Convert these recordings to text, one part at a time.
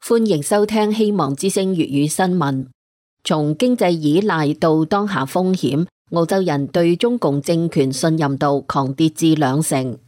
歡迎收聽希望之聲粵語新聞。從經濟依賴到當下風險，澳洲人對中共政權信任度狂跌至2成。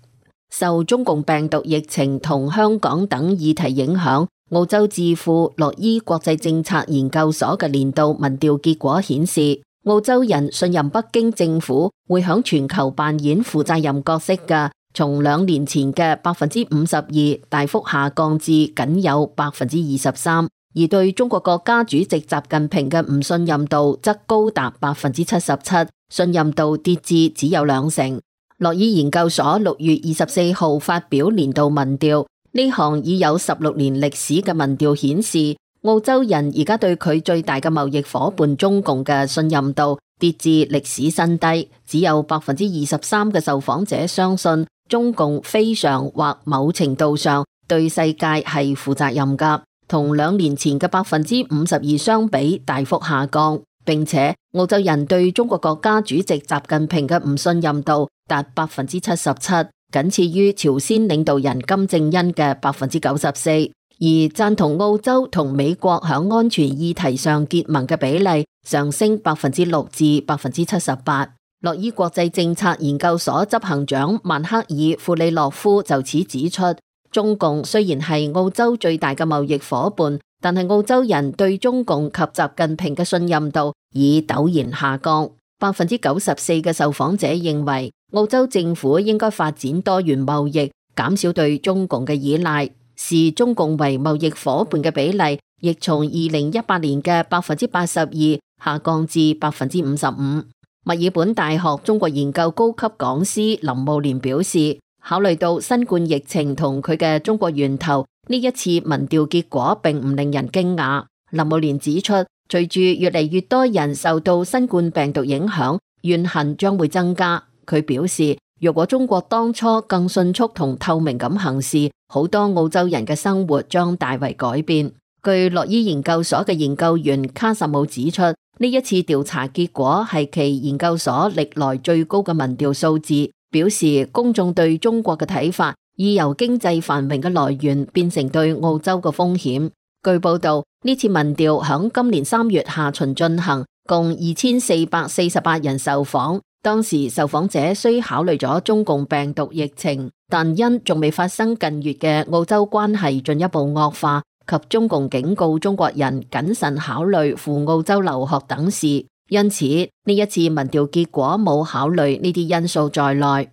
受中共病毒疫情同香港等議題影響，澳洲智庫洛伊國際政策研究所嘅年度民調結果顯示，澳洲人信任北京政府會響全球扮演負責任角色嘅，從2年前嘅52%大幅下降至僅有23%，而對中國國家主席習近平嘅唔信任度則高達77%，信任度跌至只有2成。洛伊研究所6月24號發表年度民調，呢項已有16年歷史嘅民調顯示，澳洲人而家對佢最大嘅貿易夥伴中共嘅信任度跌至歷史新低，只有23%嘅受訪者相信中共非常或某程度上對世界係負責任㗎，同2年前嘅52%相比大幅下降，並且澳洲人對中國國家主席習近平嘅唔信任度達77%，僅次於朝鮮領導人金正恩嘅94%，而贊同澳洲同美國響安全議題上結盟嘅比例上升6%至78%。洛伊國際政策研究所執行長曼克爾庫里諾夫就此指出，中共雖然係澳洲最大嘅貿易夥伴，但係澳洲人對中共及習近平嘅信任度已陡然下降。94%嘅受訪者認為澳洲政府應該發展多元貿易，減少對中共嘅依賴，視中共為貿易夥伴嘅比例亦從2018年嘅82%下降至55%。墨爾本大學中國研究高級講師林慕蓮表示，考慮到新冠疫情同佢嘅中國源頭，呢一次民調結果並唔令人驚訝。林慕蓮指出，隨住越嚟越多人受到新冠病毒影響，怨恨將會增加。佢表示，若果中國當初更迅速同透明咁行事，好多澳洲人嘅生活將大為改變。據洛伊研究所嘅研究員卡什姆指出，呢一次調查結果係其研究所歷來最高嘅民調數字，表示公眾對中國嘅睇法已由經濟繁榮嘅來源變成對澳洲嘅風險。據報道，呢次民調響今年3月下旬進行，共2448人受訪。當時受訪者雖考慮咗中共病毒疫情，但因仲未發生近月嘅澳洲關係進一步惡化，及中共警告中國人謹慎考慮赴澳洲留學等事，因此呢一次民調結果冇考慮呢啲因素在內。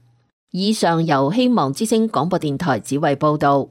以上由希望之聲廣播電台子維報道。